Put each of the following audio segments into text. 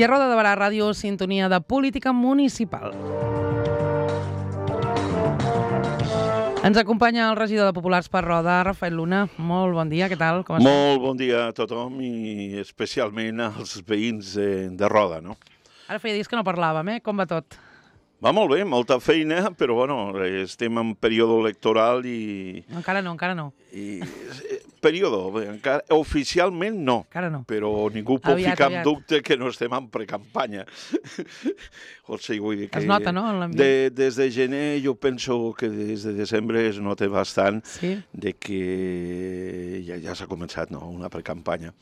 I a Roda de Barà Ràdio, sintonia de política municipal. Ens acompanya el regidor de Populars per Roda, Rafael Luna. Molt bon dia, què tal? Com estàs? Molt bon dia a tothom i especialment als veïns de Roda, no? Ara feia dies que no parlàvem, Com va tot? Va molt bé, molta feina, però bueno, estem en període electoral i... Encara no. Encara, oficialment no. Encara no. Però ningú pot ficar en dubte que no estem en precampanya. O sigui, vull dir que... Es nota, no, en l'ambient? Des de gener jo penso que des de desembre es nota bastant de que ja s'ha començat, no?, una precampanya.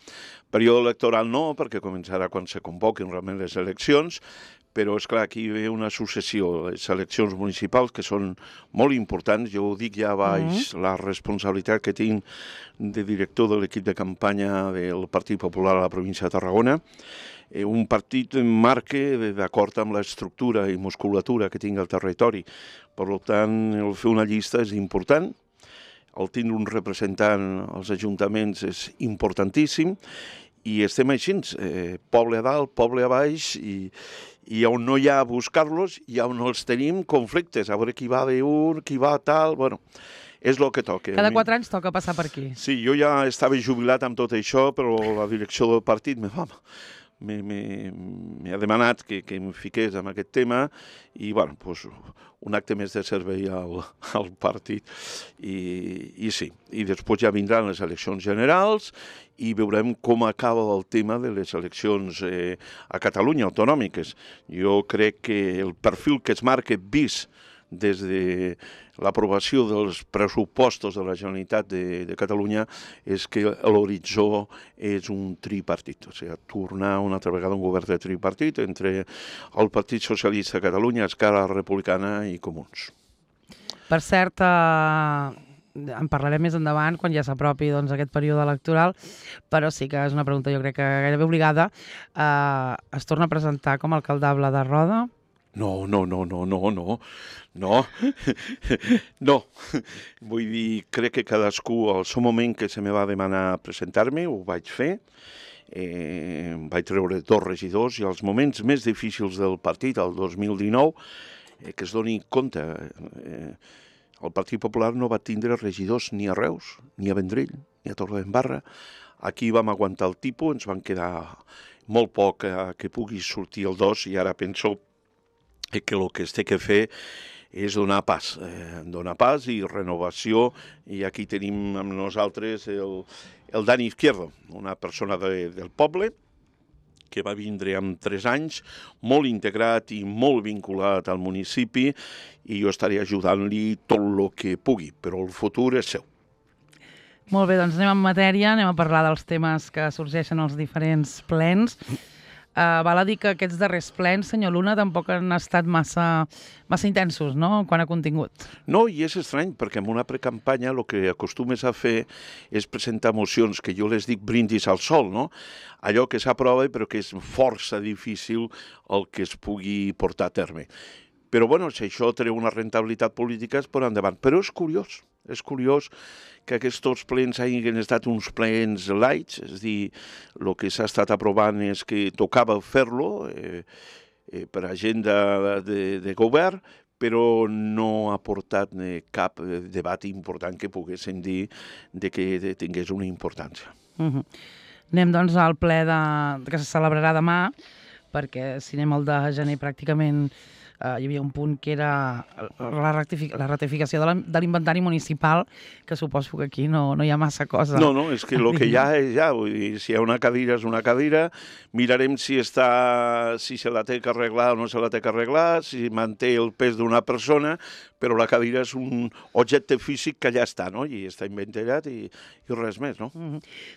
Període electoral no, perquè començarà quan se convoquin realment les eleccions, però, esclar, aquí hi ha una successió, les eleccions municipals, que són molt importants. Jo ho dic ja baix la responsabilitat que tinc de director de l'equip de campanya del Partit Popular a la província de Tarragona. Un partit marca d'acord amb l'estructura i musculatura que tinc al territori. Per tant, el fer una llista és important. El tindre un representant als ajuntaments és importantíssim. I estem així, poble a dalt, poble a baix, i on no hi ha a buscar-los, i on els tenim conflictes, a veure qui va d'un, qui va tal, bueno, és el que toca. Cada 4 anys toca passar per aquí. Sí, jo ja estava jubilat amb tot això, però la direcció del partit m'ha demanat que em fiqués en aquest tema i, bueno, doncs, un acte més de servei al partit. I sí, i després ja vindran les eleccions generals i veurem com acaba el tema de les eleccions a Catalunya, autonòmiques. Jo crec que el perfil que es marca vist des de l'aprovació dels pressupostos de la Generalitat de Catalunya és que l'horitzó és un tripartit, o sigui, tornar una altra vegada un govern de tripartit entre el Partit Socialista de Catalunya, Esquerra Republicana i Comuns. Per cert, en parlarem més endavant, quan ja s'apropi aquest període electoral, però sí que és una pregunta, jo crec que gairebé obligada. Es torna a presentar com a alcaldable de Roda? No. Vull dir, crec que cadascú, al seu moment que se me va demanar presentar-me, ho vaig fer. Vaig treure 2 regidors i als moments més difícils del partit, el 2019, que es doni compte, el Partit Popular no va tindre regidors ni a Reus, ni a Vendrell, ni a Torredembarra. Aquí vam aguantar el tipus, ens van quedar molt poc que pugui sortir el 2 i ara penso que el que es té que fer és donar pas i renovació, i aquí tenim amb nosaltres el Dani Izquierdo, una persona del poble, que va vindre amb 3 anys, molt integrat i molt vinculat al municipi, i jo estaré ajudant-li tot el que pugui, però el futur és seu. Molt bé, doncs anem en matèria, anem a parlar dels temes que sorgeixen als diferents plens. Val a dir que aquests darrers plens, senyor Luna, tampoc han estat massa intensos, no?, quant a contingut. No, i és estrany, perquè en una precampanya el que acostumes a fer és presentar mocions que jo les dic brindis al sol, no? Allò que s'aprova però que és força difícil el que es pugui portar a terme. Però, bueno, si això treu una rentabilitat política, es pot endavant. Però és curiós que aquests plens hagin estat uns plens lights, és a dir, el que s'ha estat aprovant és que tocava fer-lo per agenda de govern, però no ha portat cap debat important que poguéssim dir que tingués una importància. Anem, doncs, al ple que se celebrarà demà, perquè si anem al de gener pràcticament hi havia un punt que era la ratificació de l'inventari municipal, que suposo que aquí no hi ha massa cosa. No, és que el que hi ha és ja, vull dir, si hi ha una cadira és una cadira, mirarem si se la té que arreglar o no se la té que arreglar, si manté el pes d'una persona, però la cadira és un objecte físic que ja està, no?, i està inventat i res més, no?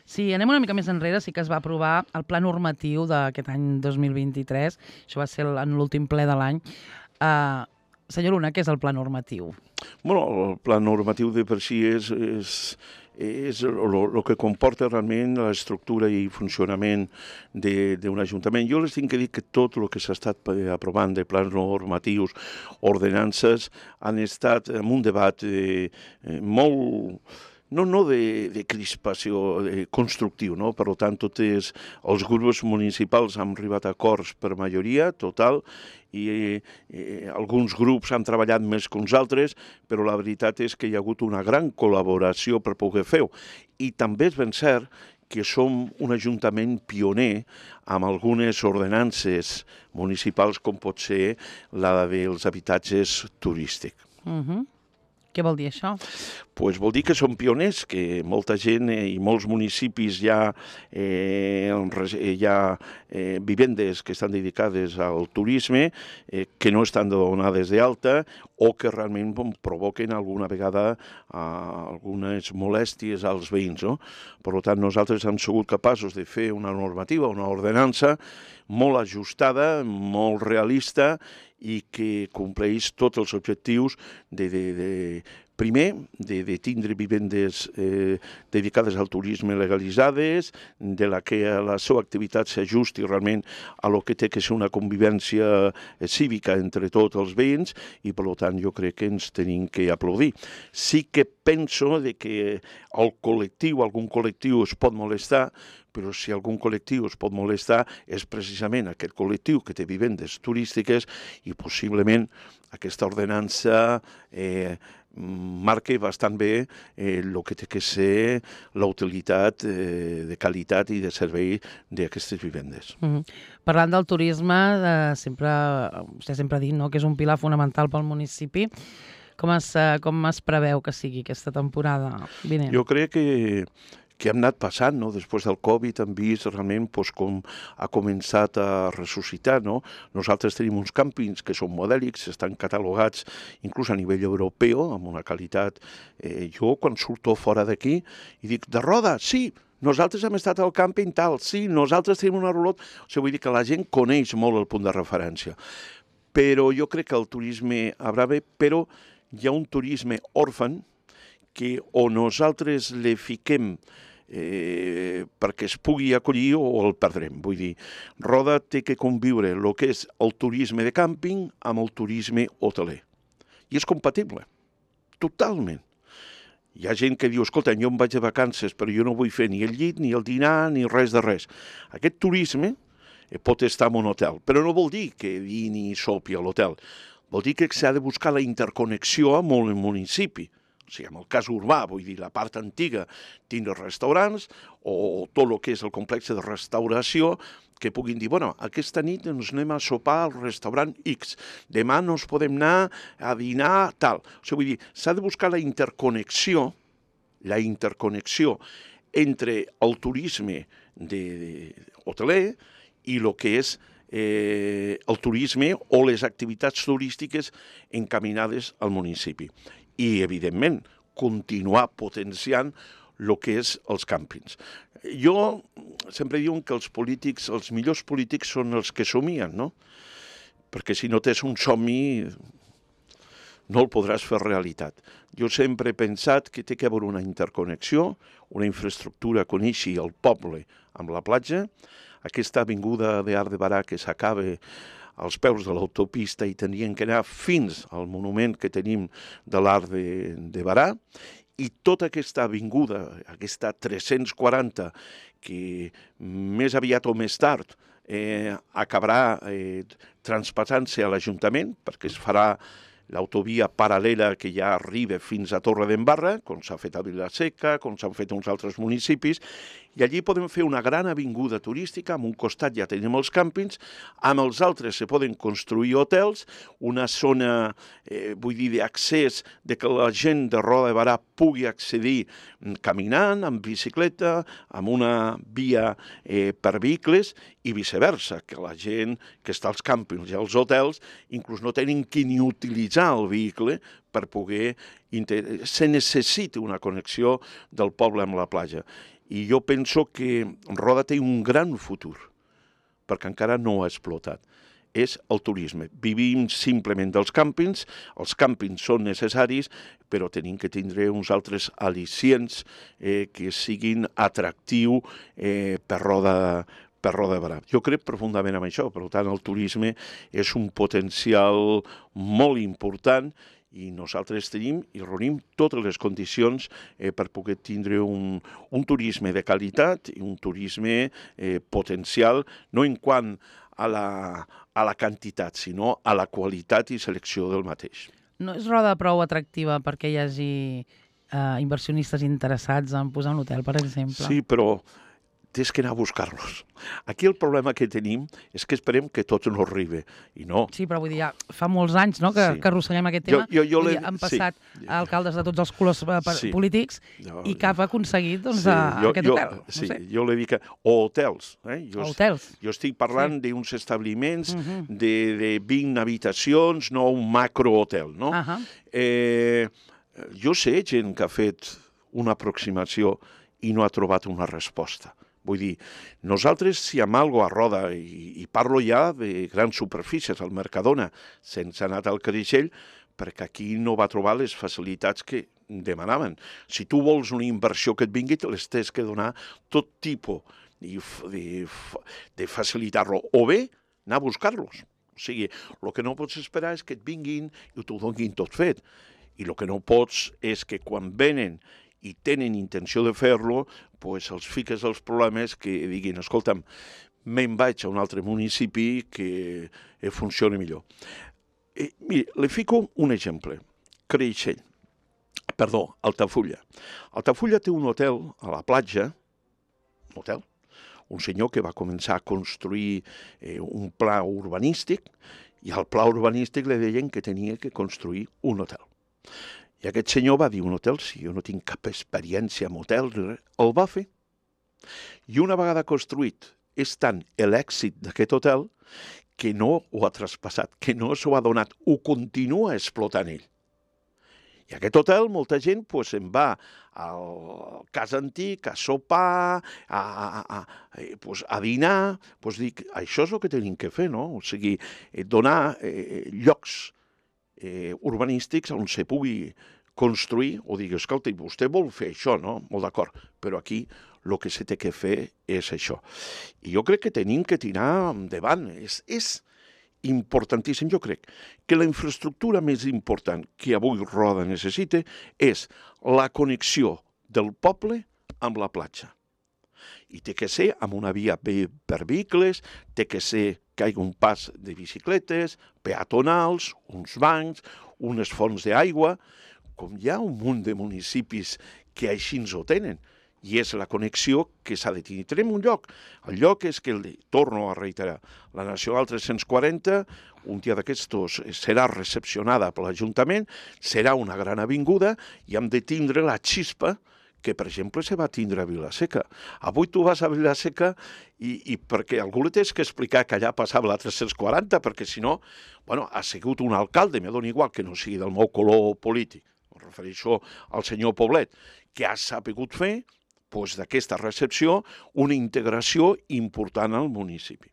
Sí, anem una mica més enrere, sí que es va aprovar el pla normatiu d'aquest any 2023, això va ser en l'últim ple de l'any. Senyor Luna, què és el pla normatiu? Bueno, el pla normatiu de per si és el que comporta realment l'estructura i funcionament d'un ajuntament. Jo les tinc que dir que tot el que s'ha estat aprovant de plans normatius, ordenances, han estat en un debat molt no de crispació constructiu, no? Per tant, tots els grups municipals han arribat a acords per majoria total i alguns grups han treballat més que uns altres, però la veritat és que hi ha hagut una gran col·laboració per poder fer-ho. I també és ben cert que som un ajuntament pioner amb algunes ordenances municipals, com pot ser la dels habitatges turístics. Què vol dir això? Pues vol dir que som pioners, que molta gent i molts municipis hi ha vivendes que estan dedicades al turisme, que no estan donades d'alta o que realment provoquen alguna vegada algunes molèsties als veïns, no? Per tant, nosaltres hem sigut capaços de fer una normativa, una ordenança molt ajustada, molt realista i que compleix tots els objectius primer, de tindre vivendes dedicades al turisme legalitzades, de la que la seva activitat s'ajusti realment a lo que té que ser una convivència cívica entre tots els veïns i, per tant, jo crec que ens tenim que aplaudir. Sí que penso que algun col·lectiu es pot molestar, però si algun col·lectiu es pot molestar és precisament aquest col·lectiu que té vivendes turístiques i possiblement aquesta ordenança marca bastant bé el que té que ser la utilitat de qualitat i de servei d'aquestes vivendes. Parlant del turisme, vostè sempre ha dit que és un pilar fonamental pel municipi. Com es preveu que sigui aquesta temporada vinent? Jo crec que hem anat passant, no? Després del Covid hem vist realment com ha començat a ressuscitar, no? Nosaltres tenim uns càmpings que són modèlics, estan catalogats inclús a nivell europeu, amb una qualitat... Jo, quan surto fora d'aquí, i dic, de Roda, sí, nosaltres hem estat al càmping tal, sí, nosaltres tenim una rulot... O sigui, vull dir que la gent coneix molt el punt de referència. Però jo crec que el turisme haurà bé, però hi ha un turisme òrfan que o nosaltres le fiquem perquè es pugui acollir o el perdrem. Vull dir, Roda té que conviure el que és el turisme de càmping amb el turisme hoteler. I és compatible, totalment. Hi ha gent que diu, escolta, jo em vaig de vacances, però jo no vull fer ni el llit, ni el dinar, ni res de res. Aquest turisme pot estar en un hotel, però no vol dir que vini i sopi a l'hotel. Vol dir que s'ha de buscar la interconnexió amb el municipi. O sigui, en el cas urbà, vull dir, la part antiga, tindre restaurants o tot el que és el complex de restauració que puguin dir, bueno, aquesta nit ens anem a sopar al restaurant X, demà nos podem anar a dinar tal. O sigui, vull dir, s'ha de buscar la interconnexió entre el turisme hoteler i el que és el turisme o les activitats turístiques encaminades al municipi. I, evidentment, continuar potenciant el que és els càmpings. Jo sempre diu que els millors polítics són els que somien, no? Perquè si no tens un somni no el podràs fer realitat. Jo sempre he pensat que té que haver una interconnexió, una infraestructura que uneixi el poble amb la platja, aquesta avinguda d'Arc de Berà que s'acaba als peus de l'autopista i tenien que anar fins al monument que tenim de l'Arc de Berà, i tota aquesta avinguda, aquesta 340, que més aviat o més tard acabarà transpassant-se a l'Ajuntament, perquè es farà l'autovia paral·lela que ja arriba fins a Torredembarra, com s'ha fet a Vila-seca, com s'han fet uns altres municipis, i allí podem fer una gran avinguda turística, amb un costat ja tenim els càmpings, amb els altres se poden construir hotels, una zona, vull dir, d'accés, de que la gent de Roda de Berà pugui accedir caminant, amb bicicleta, amb una via per vehicles, i viceversa, que la gent que està als càmpings i als hotels inclús no tenen que ni utilitzar el vehicle per poder... Se necessita una connexió del poble amb la platja. I jo penso que Roda té un gran futur, perquè encara no ha explotat. És el turisme. Vivim simplement dels càmpings, els càmpings són necessaris, però tenim que tindre uns altres al·licients que siguin atractius per Roda de Berà. Jo crec profundament en això, per tant el turisme és un potencial molt important i nosaltres tenim i reunim totes les condicions per poder tindre un turisme de qualitat i un turisme potencial, no en quant a la quantitat, sinó a la qualitat i selecció del mateix. No és Roda prou atractiva perquè hi hagi inversionistes interessats en posar un hotel, per exemple? Sí, però tens que anar a buscar-los. Aquí el problema que tenim és que esperem que tots no arribi, i no. Sí, però vull dir, ja fa molts anys, no?, que arrosseguem aquest tema. Han passat alcaldes de tots els colors polítics i cap ha aconseguit aquest hotel. Sí, jo li dic hotels. Hotels. Jo estic parlant d'uns establiments de 20 habitacions, no un macrohotel, no? Jo sé gent que ha fet una aproximació i no ha trobat una resposta. Vull dir, nosaltres, si amb alguna a Roda, i parlo ja de grans superfícies, al Mercadona, sense anar al Creixell, perquè aquí no va trobar les facilitats que demanaven. Si tu vols una inversió que et vingui, les tens que donar tot tipus de facilitar-lo, o bé anar a buscar-los. O sigui, el que no pots esperar és que et vinguin i t'ho donin tot fet. I el que no pots és que quan venen i tenen intenció de fer-lo, doncs els fiques els problemes que diguin, escolta'm, me'n vaig a un altre municipi que funcioni millor. Mira, li fico un exemple. Creixell. Perdó, Altafulla. Altafulla té un hotel a la platja, un senyor que va començar a construir un pla urbanístic, i al pla urbanístic li deien que tenia que construir un hotel. I aquest senyor va dir, un hotel, si jo no tinc cap experiència en hotels, el va fer. I una vegada construït, és tant l'èxit d'aquest hotel que no ho ha traspassat, que no s'ho ha donat, ho continua explotant ell. I aquest hotel, molta gent se'n va al cas antic, a sopar, a dinar, dic, això és el que tenim que fer, no? O sigui, donar llocs urbanístics on se pugui construir, o digui, escolta, vostè vol fer això, no? Molt d'acord, però aquí el que se té que fer és això. I jo crec que tenim que tirar endavant. És importantíssim, jo crec, que la infraestructura més important que avui Roda necessita és la connexió del poble amb la platja. I té que ser amb una via per vehicles, té que ser que hi hagi un pas de bicicletes, peatonals, uns bancs, unes fonts d'aigua, com hi ha un munt de municipis que així ens ho tenen. I és la connexió que s'ha de tenir. Tenim un lloc. El lloc és que, torno a reiterar, la Nacional 340, un dia d'aquests serà recepcionada per l'Ajuntament, serà una gran avinguda i hem de tindre la xispa que, per exemple, se va tindre a Vila-seca. Avui tu vas a Vila-seca i perquè algú li tens que explicar que allà passava la 340, perquè si no, ha sigut un alcalde, me dona igual que no sigui del meu color polític, em refereixo al senyor Poblet, que ha sabut fer d'aquesta recepció una integració important al municipi.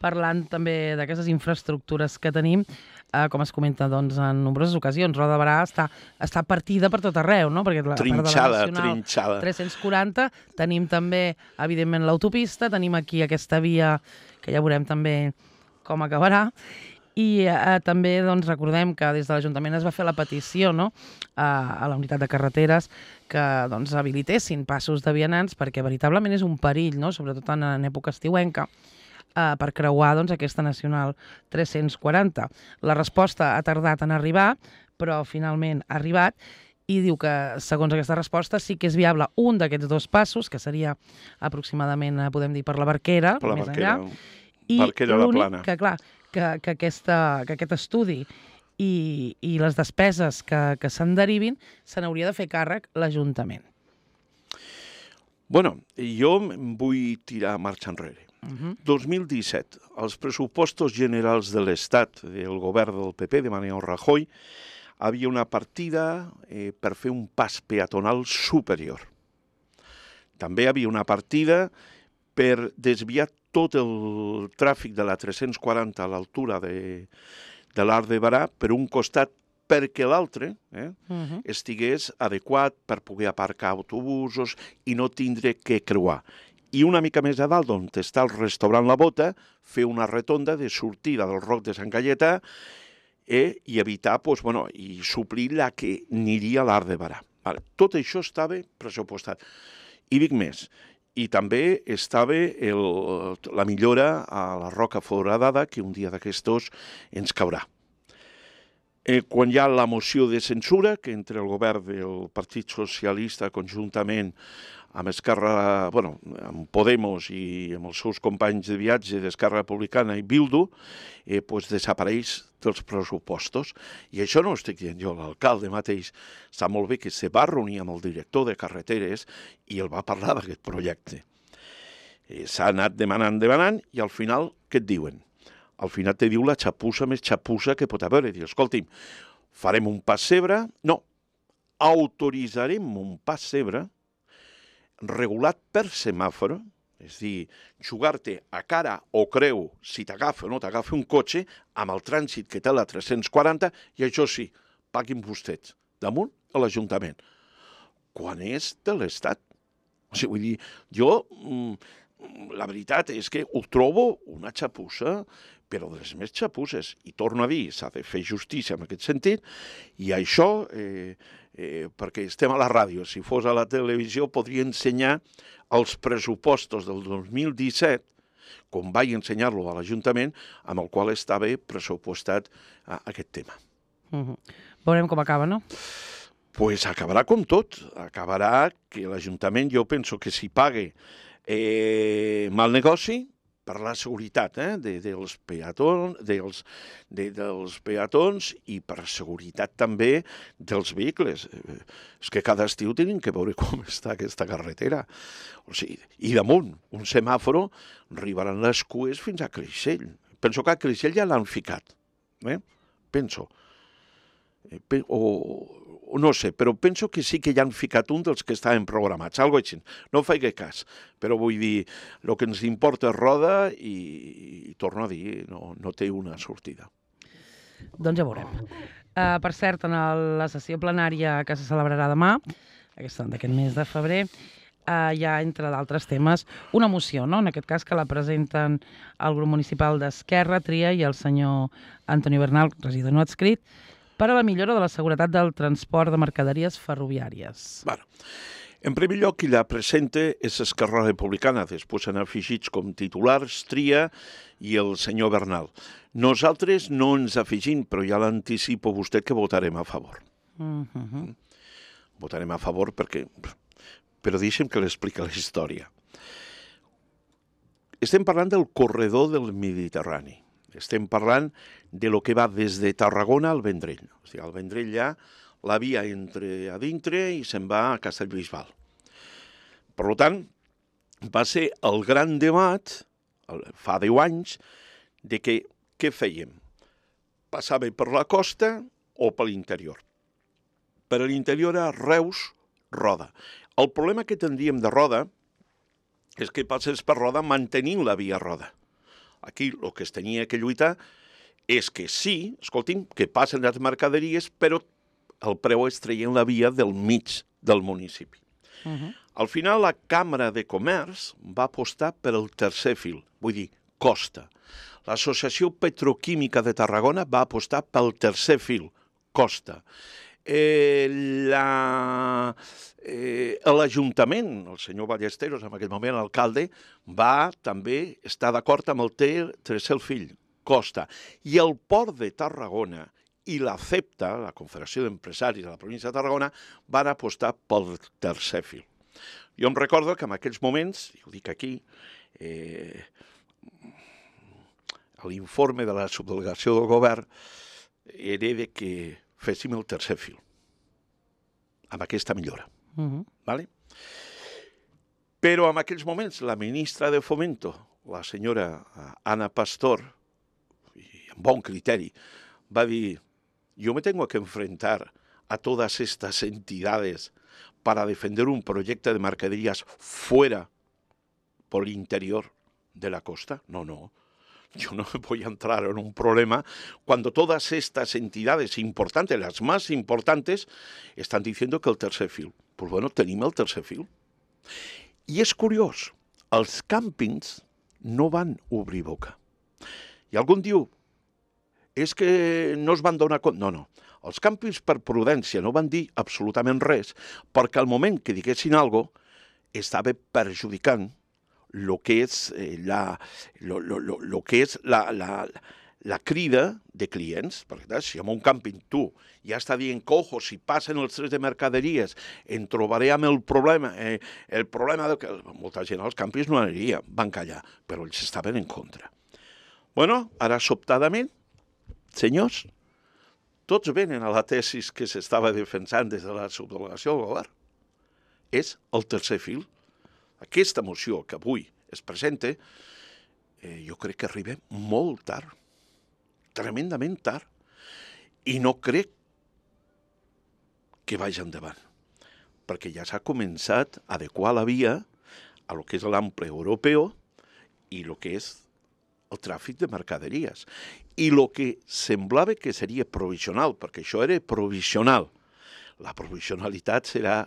Parlant també d'aquestes infraestructures que tenim, com es comenta en nombroses ocasions, Roda de Berà està partida per tot arreu, no? Perquè la part de la Nacional 340, tenim també, evidentment, l'autopista, tenim aquí aquesta via, que ja veurem també com acabarà, i també recordem que des de l'Ajuntament es va fer la petició a la unitat de carreteres que habilitessin passos de vianants perquè veritablement és un perill, sobretot en època estiuenca, per creuar aquesta Nacional 340. La resposta ha tardat en arribar, però finalment ha arribat, i diu que, segons aquesta resposta, sí que és viable un d'aquests dos passos, que seria aproximadament, podem dir, per la Barquera, més enllà, i l'únic que, clar, que aquest estudi i les despeses que se'n derivin se n'hauria de fer càrrec l'Ajuntament. Bueno, jo em vull tirar marxa enrere. 2017, els pressupostos generals de l'Estat del govern del PP de Mariano Rajoy havia una partida per fer un pas peatonal superior. També havia una partida per desviar tot el tràfic de la 340 a l'altura de l'Arc de Berà per un costat perquè l'altre estigués adequat per poder aparcar autobusos i no tindre que creuar. I una mica més a dalt, on està el restaurant La Bota, fer una rotonda de sortida del Roc de Sant Gaietà i evitar, i suplir la que aniria a l'Arc de Barà. Tot això estava pressupostat. I dic més, i també estava la millora a la Roca Foradada, que un dia d'aquestos ens caurà. Quan hi ha la moció de censura, que entre el govern del Partit Socialista conjuntament amb Esquerra, amb Podemos i amb els seus companys de viatge d'Esquerra Republicana i Bildu, desapareix dels pressupostos. I això no ho estic dient jo, l'alcalde mateix sap molt bé que se va reunir amb el director de carreteres i el va parlar d'aquest projecte. S'ha anat demanant, i al final, què et diuen? Al final te diu la xapussa més xapussa que pot haver. Diu, escolti'm, farem un pessebre? No, autoritzarem un pessebre regulat per semàforo, és a dir, jugar-te a cara o creu si t'agafa o no t'agafa un cotxe amb el trànsit que té la 340 i això sí, paguin vostès damunt a l'Ajuntament. Quan és de l'Estat? O sigui, vull dir, jo, la veritat és que ho trobo una xapussa, però de les més xapusses. I torno a dir, s'ha de fer justícia en aquest sentit, i això, perquè estem a la ràdio, si fos a la televisió, podria ensenyar els pressupostos del 2017, com vaig ensenyar-lo a l'Ajuntament, amb el qual estava pressupostat aquest tema. Veurem com acaba, no? Pues acabarà com tot. Acabarà que l'Ajuntament, jo penso que si pague mal negoci, per la seguretat dels peatons i per seguretat també dels vehicles. És que cada estiu tenim que veure com està aquesta carretera. O sigui, i damunt, un semàforo, arribaran les cues fins a Creixell. Penso que a Creixell ja l'han ficat. Penso. O no sé, però penso que sí que ja han ficat un dels que estaven programats, algo així. No faig cas, però vull dir, el que ens importa és roda i torno a dir, no té una sortida. Doncs ja veurem. Per cert, en la sessió plenària que se celebrarà demà, d'aquest mes de febrer, hi ha, entre d'altres temes, una moció, no? En aquest cas que la presenten el grup municipal d'Esquerra, Tria, i el senyor Antoni Bernal, regidor no adscrit, per a la millora de la seguretat del transport de mercaderies ferroviàries. En primer lloc, qui la presenta és Esquerra Republicana, després han afegits com titulars Tria i el senyor Bernal. Nosaltres no ens afegim, però ja l'anticipo a vostè que votarem a favor. Votarem a favor perquè... Però deixem que l'expliqui la història. Estem parlant del corredor del Mediterrani. Estem parlant de lo que va des de Tarragona al Vendrell. O sigui, al Vendrell ja la via entra a dintre i se'n va a Castellbisbal. Per tant, va ser el gran debat, fa 10 anys, de què fèiem? Passava per la costa o per l'interior? Per l'interior era Reus, Roda. El problema que tindríem de Roda és que passés per Roda mantenint la via Roda. Aquí el que es tenia que lluitar és que sí, escolti'm, que passen les mercaderies, però el preu és traient la via del mig del municipi. Al final, la Càmera de Comerç va apostar per el tercer fil, vull dir, costa. L'Associació Petroquímica de Tarragona va apostar pel tercer fil, costa. L'Ajuntament, el senyor Ballesteros, en aquell moment alcalde, va també estar d'acord amb el tercer fil, costa. I el Port de Tarragona i la CEPTA, la Confederació d'Empresaris de la província de Tarragona, van apostar pel tercer fil. Jo em recordo que en aquells moments, i ho dic aquí, l'informe de la subdelegació del govern era de que féssim el tercer fil, amb aquesta millora. Però en aquells moments la ministra de Fomento, la senyora Ana Pastor, amb bon criteri, va dir, yo me tengo que enfrentar a todas estas entidades para defender un proyecto de mercaderías fuera, por el interior de la costa. No. Yo no voy a entrar en un problema cuando todas estas entidades importantes, las más importantes, están diciendo que el tercer fil. Pues bueno, tenim el tercer fil. I és curiós, els càmpings no van obrir boca. I algú diu, és que no es van donar compte. No, no. Els campis per prudència no van dir absolutament res, perquè al moment que diguessin alguna cosa, estava perjudicant el que és, la crida de clients. Perquè si en un càmping tu ja està dient que, ojo, si passen els trens de mercaderies, en trobaré amb el problema de que molta gent als càmpings no aniria, van callar, però ells estaven en contra. Bueno, ara sobtadament, senyors, tots venen a la tesis que s'estava defensant des de la subdelegació del govern. És el tercer fil. Aquesta moció que avui es presenta, jo crec que arriba molt tard, tremendament tard, i no crec que vagi endavant, perquè ja s'ha començat a adequar la via a lo que és l'ample europeu i el que és el tràfic de mercaderies. I el que semblava que seria provisional, perquè això era provisional, la provisionalitat serà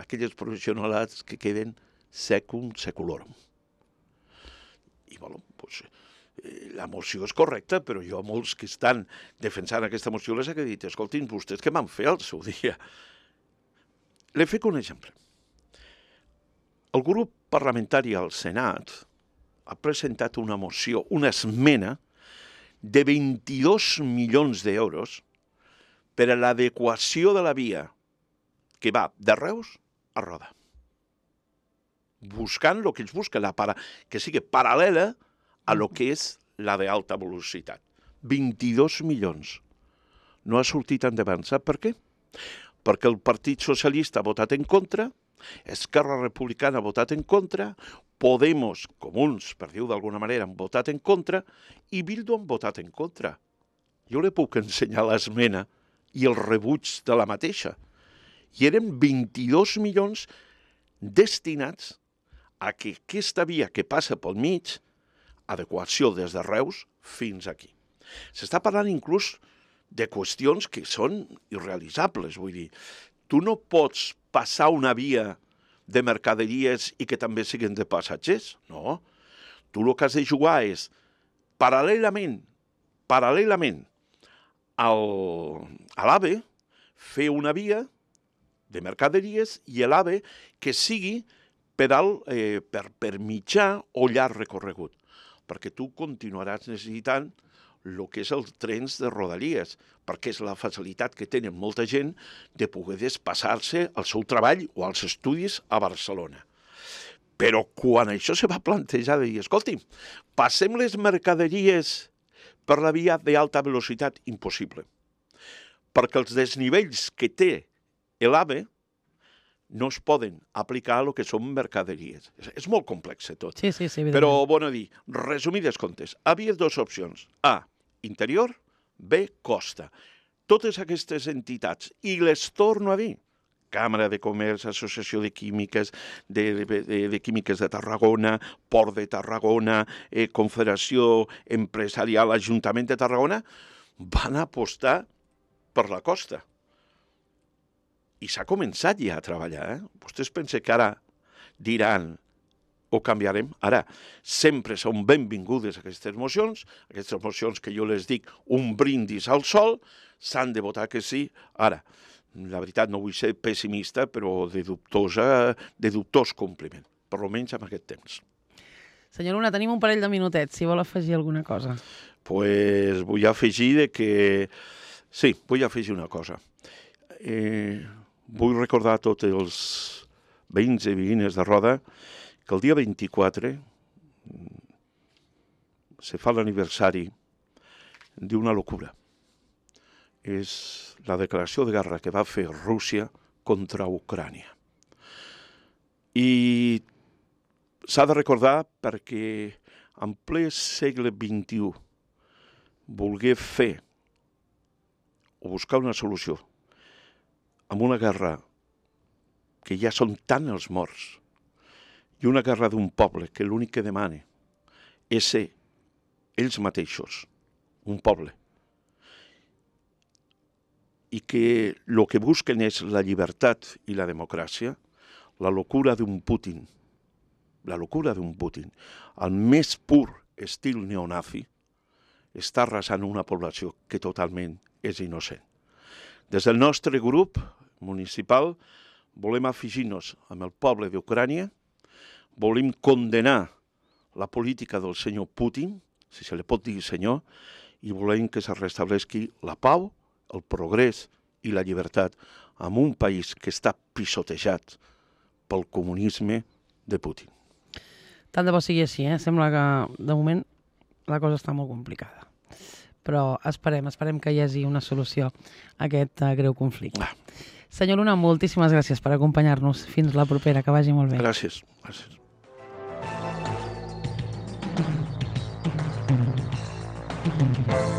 aquelles provisionalitats que queden secum seculorum. I, bueno, doncs, la moció és correcta, però jo a molts que estan defensant aquesta moció les he dit, escoltin, vostès què van fer al seu dia? Le fico un exemple. El grup parlamentari al Senat ha presentat una moció, una esmena de 22 milions d'euros per a l'adequació de la via que va de Reus a Roda. Buscant el que ells busquen, que sigui paral·lela a lo que és la d'alta velocitat. 22 milions. No ha sortit endavant. Sap per què? Perquè el Partit Socialista ha votat en contra, Esquerra Republicana ha votat en contra, Podemos, Comuns, per dir-ho d'alguna manera, han votat en contra, i Bildu han votat en contra. Jo li puc ensenyar l'esmena i el rebuig de la mateixa. I eren 22 milions destinats a que aquesta via que passa pel mig, adequació des de Reus fins aquí. S'està parlant inclús de qüestions que són irrealitzables, vull dir, tu no pots passar una via de mercaderies i que també siguin de passatgers, no. Tu el que has de jugar és, paral·lelament a l'AVE, fer una via de mercaderies i l'AVE que sigui per mitjà o llarg recorregut, perquè tu continuaràs necessitant el que és els trens de rodalies, perquè és la facilitat que tenen molta gent de poder desplaçar-se al seu treball o als estudis a Barcelona. Però quan això se va plantejar de dir, escolti, passem les mercaderies per la via d'alta velocitat, impossible, perquè els desnivells que té l'AVE no es poden aplicar a lo que són mercaderies. És molt complex tot. Sí, però, bueno, dir, resumides comptes, havia dues opcions. A, interior, B, costa. Totes aquestes entitats, i les torno a dir, Càmera de Comerç, Associació de Químiques, de Químiques de Tarragona, Port de Tarragona, Confederació Empresarial, Ajuntament de Tarragona, van apostar per la costa. I s'ha començat ja a treballar. Vostès pensen que ara diran o canviarem? Ara, sempre són benvingudes aquestes mocions que jo les dic un brindis al sol, s'han de votar que sí. Ara, la veritat no vull ser pessimista, però de dubtós compliment, per almenys en aquest temps. Senyor Luna, tenim un parell de minutets, si vol afegir alguna cosa. Doncs vull afegir que... Sí, vull afegir una cosa. Vull recordar a tots els veïns i veïnes de Roda que el dia 24 se fa l'aniversari d'una locura. És la declaració de guerra que va fer Rússia contra Ucrània. I s'ha de recordar perquè en ple segle XXI volgué fer o buscar una solució amb una guerra que ja són tant els morts i una guerra d'un poble que l'únic que demana és ser ells mateixos, un poble, i que el que busquen és la llibertat i la democràcia, la locura d'un Putin, al més pur estil neonazi, està arrasant una població que totalment és innocent. Des del nostre grup municipal volem afegir-nos amb el poble d'Ucrània, volem condenar la política del senyor Putin, si se li pot dir senyor, i volem que se restableixi la pau, el progrés i la llibertat en un país que està pisotejat pel comunisme de Putin. Tant de bo sigui així, Sembla que, de moment, la cosa està molt complicada. Però esperem que hi hagi una solució a aquest greu conflicte. Senyor Luna, moltíssimes gràcies per acompanyar-nos. Fins la propera, que vagi molt bé. Gràcies. Gràcies. Thank you.